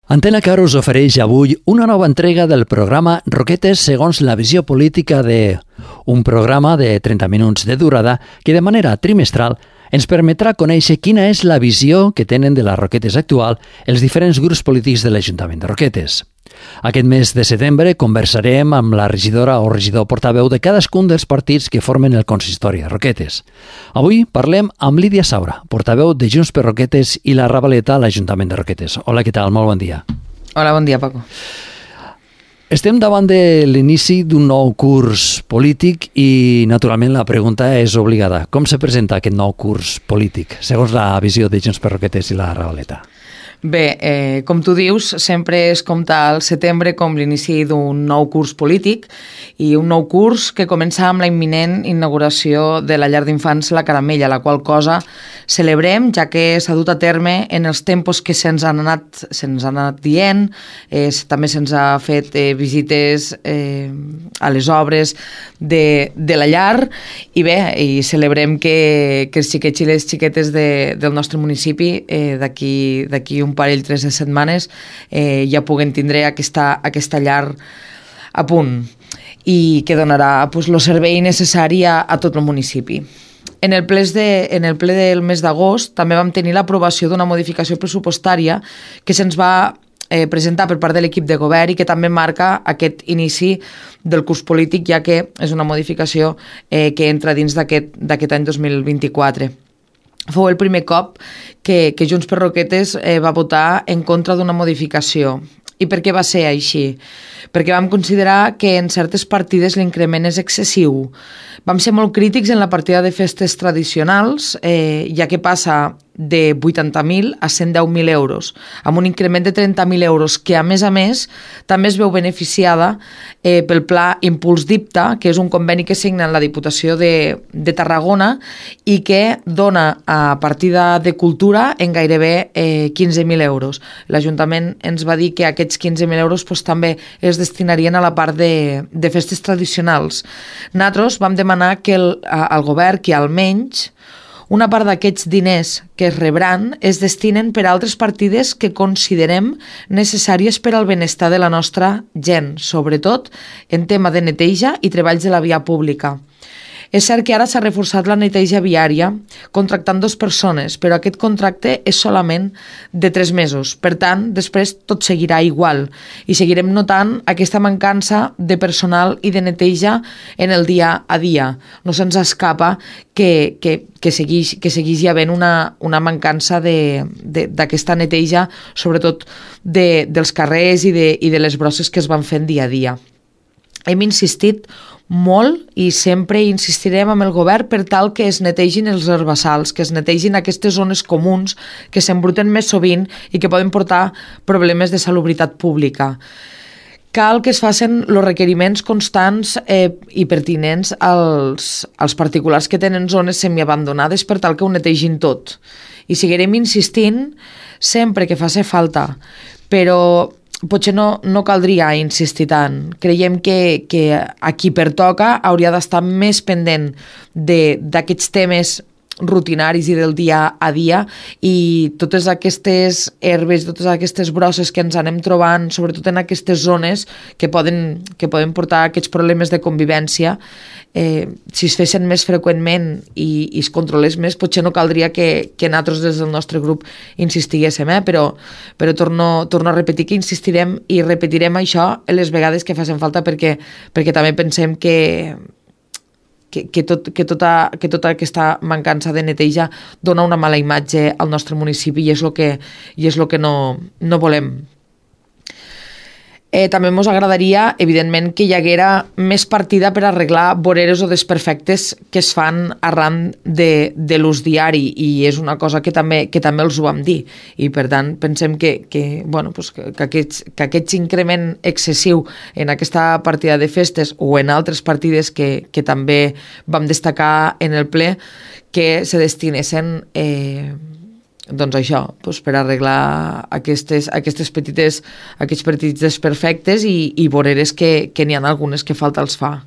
Antena Car us ofereix avui una nova entrega del programa Roquetes segons la visió política de... Un programa de 30 minuts de durada que de manera trimestral ens permetrà conèixer quina és la visió que tenen de les Roquetes actual els diferents grups polítics de l'Ajuntament de Roquetes. Aquest mes de setembre conversarem amb la regidora o regidor portaveu de cadascun dels partits que formen el consistori de Roquetes. Avui parlem amb Lídia Saura, portaveu de Junts per Roquetes i la Ravaleta a l'Ajuntament de Roquetes. Hola, què tal? Molt bon dia. Hola, bon dia, Paco. Estem davant de l'inici d'un nou curs polític i, naturalment, la pregunta és obligada. Com se presenta aquest nou curs polític, segons la visió de Junts per Roquetes i la Ravaleta? Bé, com tu dius, sempre es compta al setembre com l'inici d'un nou curs polític i un nou curs que comença amb la imminent inauguració de la llar d'infants La Caramella, la qual cosa celebrem, ja que s'ha dut a terme en els tempos que se'ns han anat dient. També se'ns ha fet visites a les obres de la llar i bé, i celebrem que els xiquets i les xiquetes del nostre municipi d'aquí un parell, 3 de setmanes ja puguen tindre aquesta llar a punt i que donarà el servei necessari a tot el municipi. En el ple del mes d'agost també vam tenir l'aprovació d'una modificació pressupostària que se'ns va presentar per part de l'equip de govern i que també marca aquest inici del curs polític, ja que és una modificació que entra dins d'aquest any 2024. Fou el primer cop que Junts per Roquetes va votar en contra d'una modificació. I per què va ser així? Perquè vam considerar que en certes partides l'increment és excessiu. Vam ser molt crítics en la partida de festes tradicionals, ja que passa de 80.000 a 110.000 euros, amb un increment de 30.000 euros, que a més també es veu beneficiada pel Pla Impuls d'IPTA, que és un conveni que signa la Diputació de Tarragona i que dona a partida de cultura en gairebé 15.000 euros. L'Ajuntament ens va dir que aquests 15.000 euros també es destinarien a la part de festes tradicionals. Nosaltres vam demanar que al govern que almenys una part d'aquests diners que es rebran es destinen per a altres partides que considerem necessàries per al benestar de la nostra gent, sobretot en tema de neteja i treballs de la via pública. És cert que ara s'ha reforçat la neteja viària contractant 2 persones, però aquest contracte és solament de 3 mesos. Per tant, després tot seguirà igual i seguirem notant aquesta mancança de personal i de neteja en el dia a dia. No se'ns escapa que segueix havent una mancança d'aquesta neteja, sobretot dels carrers i de les brosses que es van fent dia a dia. Hem insistit molt i sempre insistirem amb el govern per tal que es netegin els herbassals, que es netegin aquestes zones comuns que s'embruten més sovint i que poden portar problemes de salubritat pública. Cal que es facin els requeriments constants i pertinents als particulars que tenen zones semiabandonades per tal que ho netegin tot. I seguirem insistint sempre que faci falta, però potser no caldria insistir tant. Creiem que a qui pertoca hauria d'estar més pendent d'aquests temes rutinaris i del dia a dia i totes aquestes herbes, totes aquestes brosses que ens anem trobant, sobretot en aquestes zones que poden portar aquests problemes de convivència, si es fessin més freqüentment i es controlés més, potser no caldria que nosaltres des del nostre grup insistiguéssim, però torno a repetir que insistirem i repetirem això les vegades que facin falta perquè també pensem que tota aquesta mancança de neteja dona una mala imatge al nostre municipi i és el que no volem. També ens agradaria, evidentment, que hi haguera més partida per arreglar voreres o desperfectes que es fan arran de l'ús diari i és una cosa que també els ho vam dir i per tant pensem que aquest increment excessiu en aquesta partida de festes o en altres partides que també vam destacar en el ple que se destinessin per arreglar aquests petits desperfectes i voreres que n'hi ha algunes que falta els fa.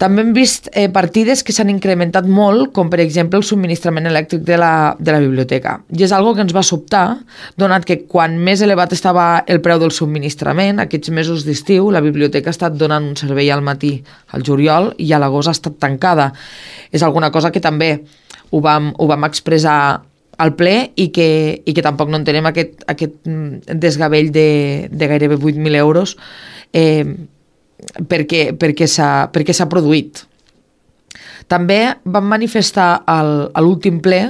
També hem vist partides que s'han incrementat molt, com per exemple el subministrament elèctric de la biblioteca. I és algo que ens va sobtar, donat que quan més elevat estava el preu del subministrament, aquests mesos d'estiu, la biblioteca ha estat donant un servei al matí, al juliol, i a l'agost ha estat tancada. És alguna cosa que també ho vam expressar al ple i que tampoc no entenem aquest desgavell de gairebé 8.000 euros perquè s'ha produït. També vam manifestar a l'últim ple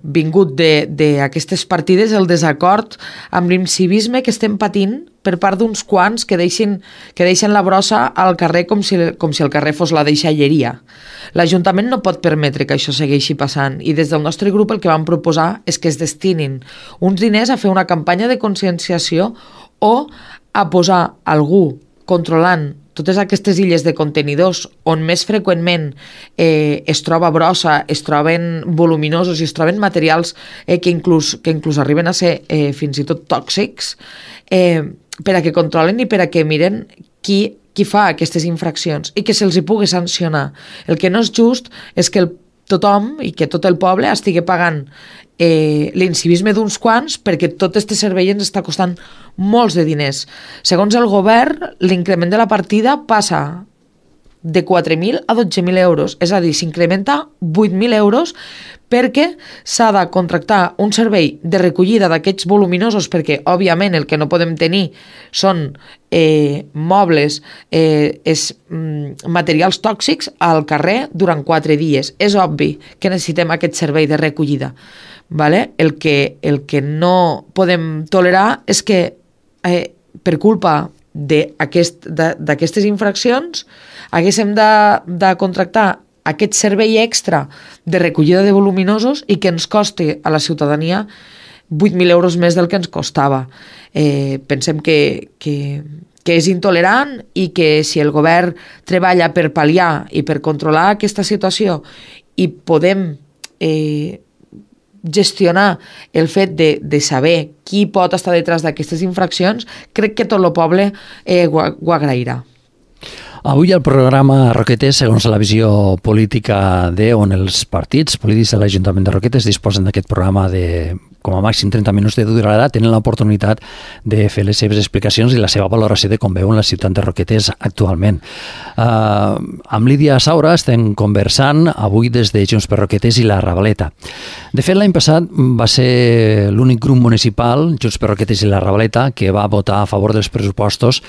vingut d'aquestes partides el desacord amb l'incivisme que estem patint per part d'uns quants que deixen la brossa al carrer com si el carrer fos la deixalleria. L'Ajuntament no pot permetre que això segueixi passant i des del nostre grup el que vam proposar és que es destinin uns diners a fer una campanya de conscienciació o a posar algú controlant totes aquestes illes de contenidors on més freqüentment es troba brossa, es troben voluminosos i es troben materials que inclús arriben a ser fins i tot tòxics, per a que controlen i per a que miren qui fa aquestes infraccions i que se'ls hi pugui sancionar. El que no és just és que tothom i que tot el poble estigui pagant l'incivisme d'uns quants perquè tot este servei ens està costant molts de diners. Segons el govern, l'increment de la partida passa de 4.000 a 12.000 euros, és a dir, s'incrementa 8.000 euros perquè s'ha de contractar un servei de recollida d'aquests voluminosos perquè, òbviament, el que no podem tenir són mobles, materials tòxics al carrer durant 4 dies. És obvi que necessitem aquest servei de recollida. Vale? El que no podem tolerar és que per culpa d'aquestes infraccions haguéssim de contractar aquest servei extra de recollida de voluminosos i que ens costi a la ciutadania 8.000 euros més del que ens costava. Pensem que és intolerant i que si el govern treballa per pal·liar i per controlar aquesta situació i podem gestionar el fet de saber qui pot estar detrás d'aquestes infraccions, crec que tot el poble ho agrairà. Avui el programa Roquetes, segons la visió política on els partits polítics de l'Ajuntament de Roquetes disposen d'aquest programa de com a màxim 30 minuts de durada, tenen l'oportunitat de fer les seves explicacions i la seva valoració de com veuen la ciutat de Roquetes actualment. Amb Lídia Saura estem conversant avui des de Junts per Roquetes i la Ravaleta. De fet, l'any passat va ser l'únic grup municipal, Junts per Roquetes i la Ravaleta, que va votar a favor dels pressupostos,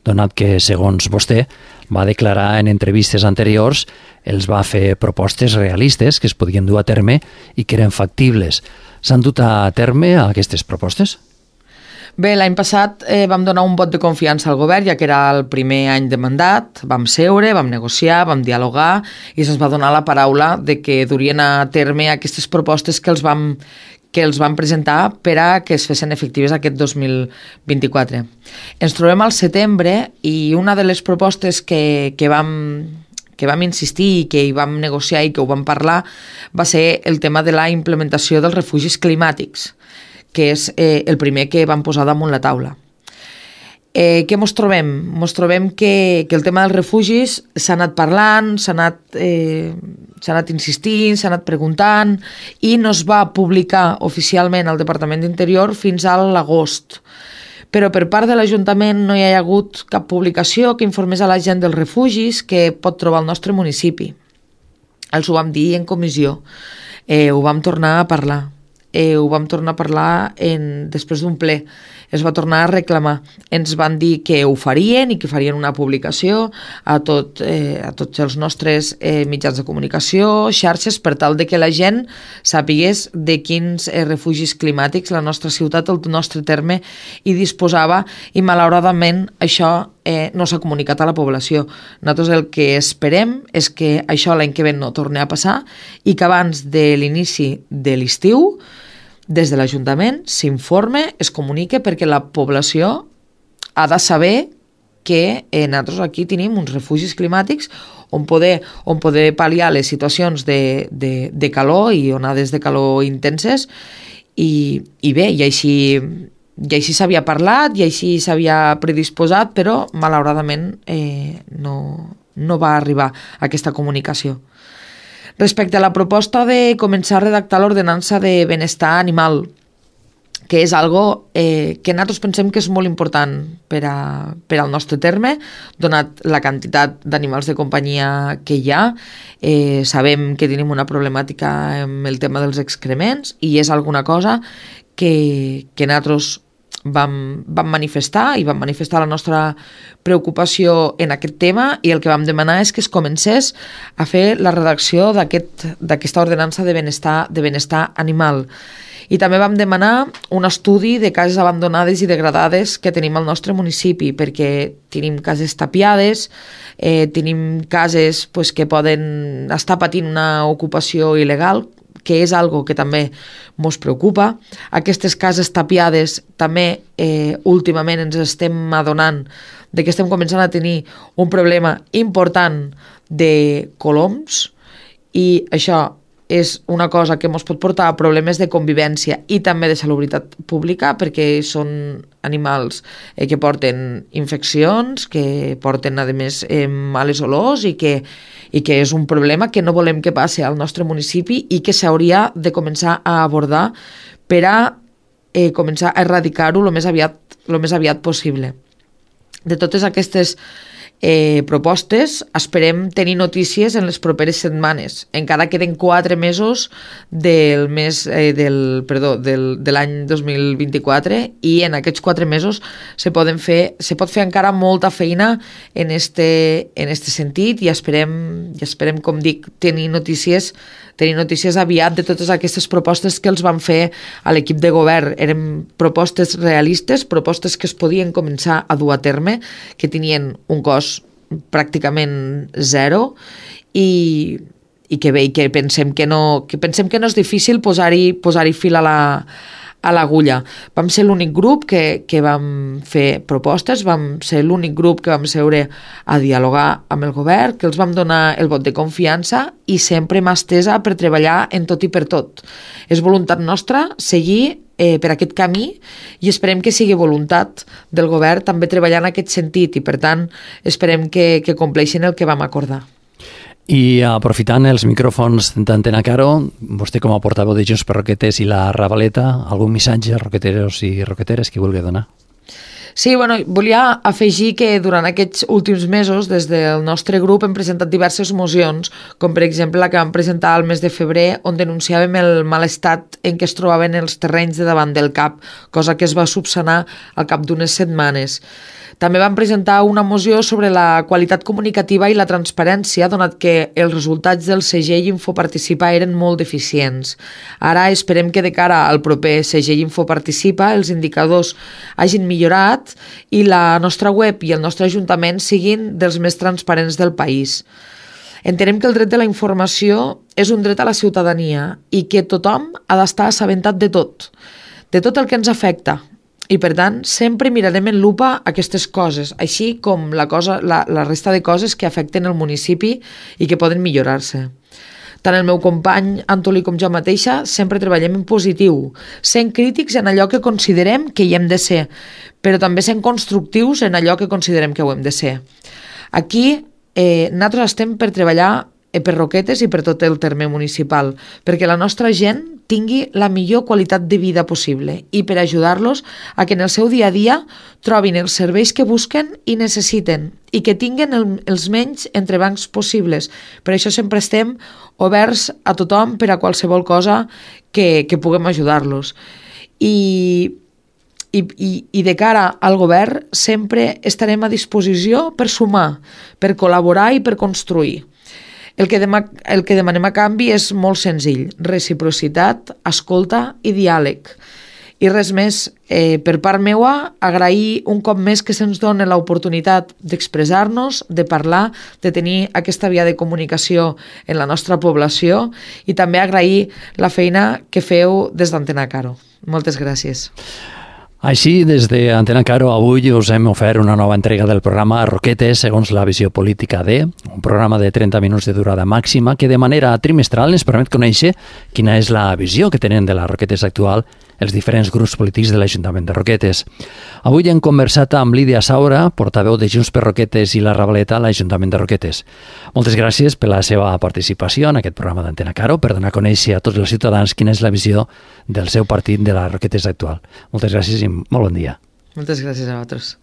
donat que, segons vostè, va declarar en entrevistes anteriors, els va fer propostes realistes que es podien dur a terme i que eren factibles. S'han dut a terme aquestes propostes? Bé, l'any passat vam donar un vot de confiança al govern, ja que era el primer any de mandat, vam seure, vam negociar, vam dialogar i se'ns va donar la paraula de que durien a terme aquestes propostes que els vam presentar per a que es fessin efectives aquest 2024. Ens trobem al setembre i una de les propostes que vam insistir i que hi vam negociar i que ho vam parlar va ser el tema de la implementació dels refugis climàtics, que és el primer que vam posar damunt la taula. Què mos trobem? Mos trobem que el tema dels refugis s'ha anat parlant, s'ha anat insistint, s'ha anat preguntant i no es va publicar oficialment al Departament d'Interior fins a l'agost. Però per part de l'Ajuntament no hi ha hagut cap publicació que informés a la gent dels refugis que pot trobar al nostre municipi. Els ho vam dir en comissió, ho vam tornar a parlar. Ho vam tornar a parlar després d'un ple. Es va tornar a reclamar. Ens van dir que ho farien i que farien una publicació a tots els nostres mitjans de comunicació, xarxes, per tal de que la gent sàpigués de quins refugis climàtics la nostra ciutat, el nostre terme, hi disposava i malauradament això no s'ha comunicat a la població. Nosaltres el que esperem és que això l'any que ve no torni a passar i que abans de l'inici de l'estiu des de l'Ajuntament s'informe, es comunique perquè la població ha de saber que nosaltres aquí tenim uns refugis climàtics on poder pal·liar les situacions de calor i onades de calor intenses i bé, i així s'havia parlat i així s'havia predisposat, però malauradament no no va arribar aquesta comunicació. Respecte a la proposta de començar a redactar l'ordenança de benestar animal, que és algo que nosaltres pensem que és molt important per al nostre terme, donat la quantitat d'animals de companyia que hi ha. Sabem que tenim una problemàtica amb el tema dels excrements i és alguna cosa que nosaltres vam manifestar i vam manifestar la nostra preocupació en aquest tema, i el que vam demanar és que es comencés a fer la redacció d'aquesta ordenança de benestar animal. I també vam demanar un estudi de cases abandonades i degradades que tenim al nostre municipi, perquè tenim cases tapiades, tenim cases que poden estar patint una ocupació il·legal, que és algo que també ens preocupa. Aquestes cases tapiades també últimament ens estem adonant de que estem començant a tenir un problema important de coloms, i això és una cosa que ens pot portar a problemes de convivència i també de salubritat pública, perquè són animals que porten infeccions, que porten, a més, males olors, i que és un problema que no volem que passi al nostre municipi i que s'hauria de començar a abordar per a començar a erradicar-ho el més aviat possible. De totes aquestes propostes esperem tenir notícies en les properes setmanes. Encara queden 4 mesos de l'any 2024, i en aquests 4 mesos se pot fer encara molta feina en este sentit, i esperem, com dic, tenir notícies aviat de totes aquestes propostes que els van fer a l'equip de govern. Eren propostes realistes, propostes que es podien començar a dur a terme, que tenien un cost pràcticament zero, i que pensem que no és difícil posar-hi fil a l'agulla. Vam ser l'únic grup que vam fer propostes, vam ser l'únic grup que vam seure a dialogar amb el govern, que els vam donar el vot de confiança, i sempre mà estesa per treballar en tot i per tot. És voluntat nostra seguir per aquest camí, i esperem que sigui voluntat del govern també treballar en aquest sentit, i per tant esperem que compleixin el que vam acordar. I aprofitant els micròfons d'Antena Caro, vostè com a portaveu de Junts per Roquetes i la Ravaleta, algun missatge a roqueteros i roqueteres que vulgui donar? Sí, volia afegir que durant aquests últims mesos des del nostre grup hem presentat diverses mocions, com per exemple la que vam presentar al mes de febrer, on denunciàvem el mal estat en què es trobaven els terrenys de davant del CAP, cosa que es va subsanar al cap d'unes setmanes. També vam presentar una moció sobre la qualitat comunicativa i la transparència, donat que els resultats del segell Infoparticipa eren molt deficients. Ara esperem que de cara al proper segell Infoparticipa els indicadors hagin millorat i la nostra web i el nostre ajuntament siguin dels més transparents del país. Entenem que el dret de la informació és un dret a la ciutadania i que tothom ha d'estar assabentat de tot el que ens afecta. I, per tant, sempre mirarem en lupa aquestes coses, així com la resta de coses que afecten el municipi i que poden millorar-se. Tant el meu company Antolí com jo mateixa sempre treballem en positiu, sent crítics en allò que considerem que hi hem de ser, però també sent constructius en allò que considerem que ho hem de ser. Aquí nosaltres estem per treballar per Roquetes i per tot el terme municipal, perquè la nostra gent tingui la millor qualitat de vida possible i per ajudar-los a que en el seu dia a dia trobin els serveis que busquen i necessiten i que tinguin els menys entrebancs possibles. Per això sempre estem oberts a tothom per a qualsevol cosa que puguem ajudar-los. I de cara al govern sempre estarem a disposició per sumar, per col·laborar i per construir. El que demanem a canvi és molt senzill: reciprocitat, escolta i diàleg. I res més, per part meua, agrair un cop més que se'ns doni l'oportunitat d'expressar-nos, de parlar, de tenir aquesta via de comunicació en la nostra població, i també agrair la feina que feu des d'Antena Caro. Moltes gràcies. Així, des d'Antena Caro, avui us hem ofert una nova entrega del programa Roquetes segons la visió política de, un programa de 30 minuts de durada màxima que de manera trimestral ens permet conèixer quina és la visió que tenen de les Roquetes actual els diferents grups polítics de l'Ajuntament de Roquetes. Avui hem conversat amb Lídia Saura, portaveu de Junts per Roquetes i la Ravaleta a l'Ajuntament de Roquetes. Moltes gràcies per la seva participació en aquest programa d'Antena Caro, per donar a conèixer a tots els ciutadans quina és la visió del seu partit de la Roquetes actual. Moltes gràcies i molt bon dia. Moltes gràcies a vosaltres.